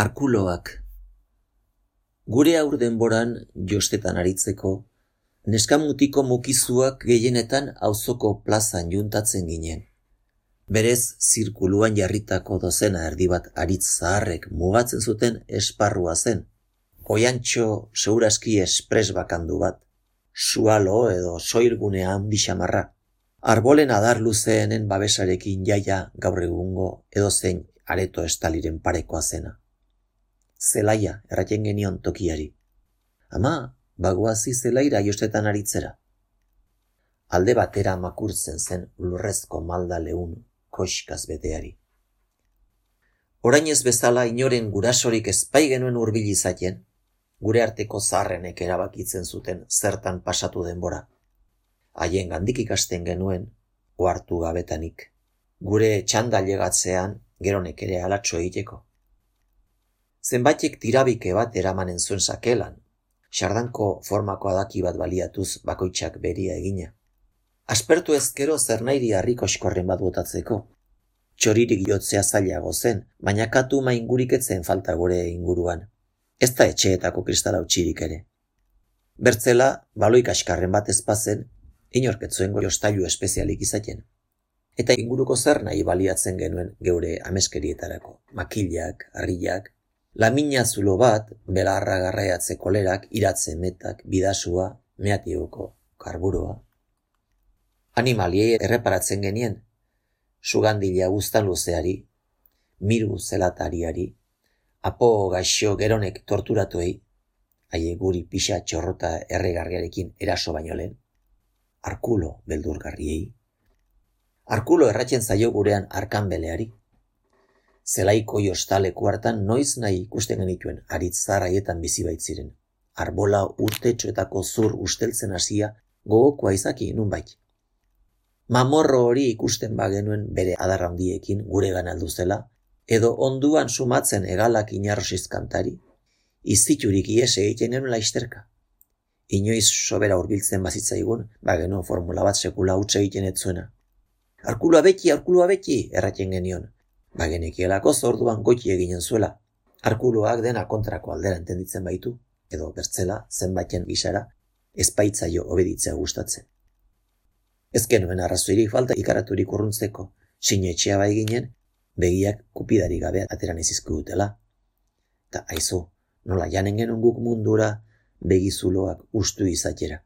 Arkuloak. Gure aur denboran jostetan aritzeko, neskamutiko mukizuak gehienetan auzoko plazan juntatzen ginen. Berez, zirkuluan jarritako dozena erdi bat aritz zaharrek mugatzen zuten esparrua zen. Oiantxo seguraski espres bakandu bat, sualo edo soilgunea handi xamarra. Arbolen adar luzeenen babesarekin jaia gaur egungo edozein areto estaliren parekoa zena. Zelaia erraten genion tokiari. Ama, bagoazi zelaira jostetan aritzera. Alde batera makurtzen zen lurrezko malda leun koxkaz beteari. Orain ez bezala inoren gurasorik ezpai genuen hurbil izaten, gure arteko zaharrenek erabakitzen zuten zertan pasatu denbora. Haien gandik ikasten genuen, ohartu gabetanik. Gure txanda llegatzean, geronek ere alatxo egiteko. Zenbaitek tirabike bat eramanen zuen sakelan, sardanko formako adaki bat baliatuz bakoitzak beria egina. Aspertu ezkero zernairi harriko eskorren bat botatzeko. Txoririk jotzea zailago zen, baina katu maingurik etzen falta gure inguruan. Ez da etxeetako kristala utxirik ere. Bertzela, baloik askarren bat ezpazen, inorketzoengo jostailu espezialik izaten. Eta inguruko zer nahi baliatzen genuen geure ameskerietarako. Makilak, harriak, lamina zulo bat, belarra garraiatze kolerak, iratze metak, bidasua, meatioko karburoa. Animaliei erreparatzen genien, sugandila guztan luzeari, miru zelatariari, apo gaixo geronek torturatuei, haie guri pixa txorrota erregarriarekin eraso baino lehen, arkulo beldurgarriei, arkulo erratzen zaio gurean arkanbeleari, zelaiko jostaleku hartan noiz nahi ikusten genituen aritzar haietan bizi baitziren, arbola urtetxoetako zur usteltzen hasia gogokoa izaki nunbait. Mamorro hori ikusten bagenuen bere adar handiekin guregan aldu zela, edo onduan sumatzen egalak inarrosiz kantari, iziturik ies egiten genuen laisterka. Inoiz sobera hurbiltzen bazitzaigun, bagenuen formula bat sekula hutsa egiten etzuena. Arkulua beti, erraten genion. Bagenekielako zorduan goiti eginen zuela. Arkuluak dena kontrako aldera entenditzen baitu, edo bertzela zenbaiten gisara, ezpaitzaio obeditzea gustatzen. Ez genuen arrazoirik falta ikaraturik urruntzeko, sinetxea bai ginen, begiak kupidari gabe ateran izizku dutela. Ta aizu, nola janen genuen guk mundura begizuloak ustu izatera.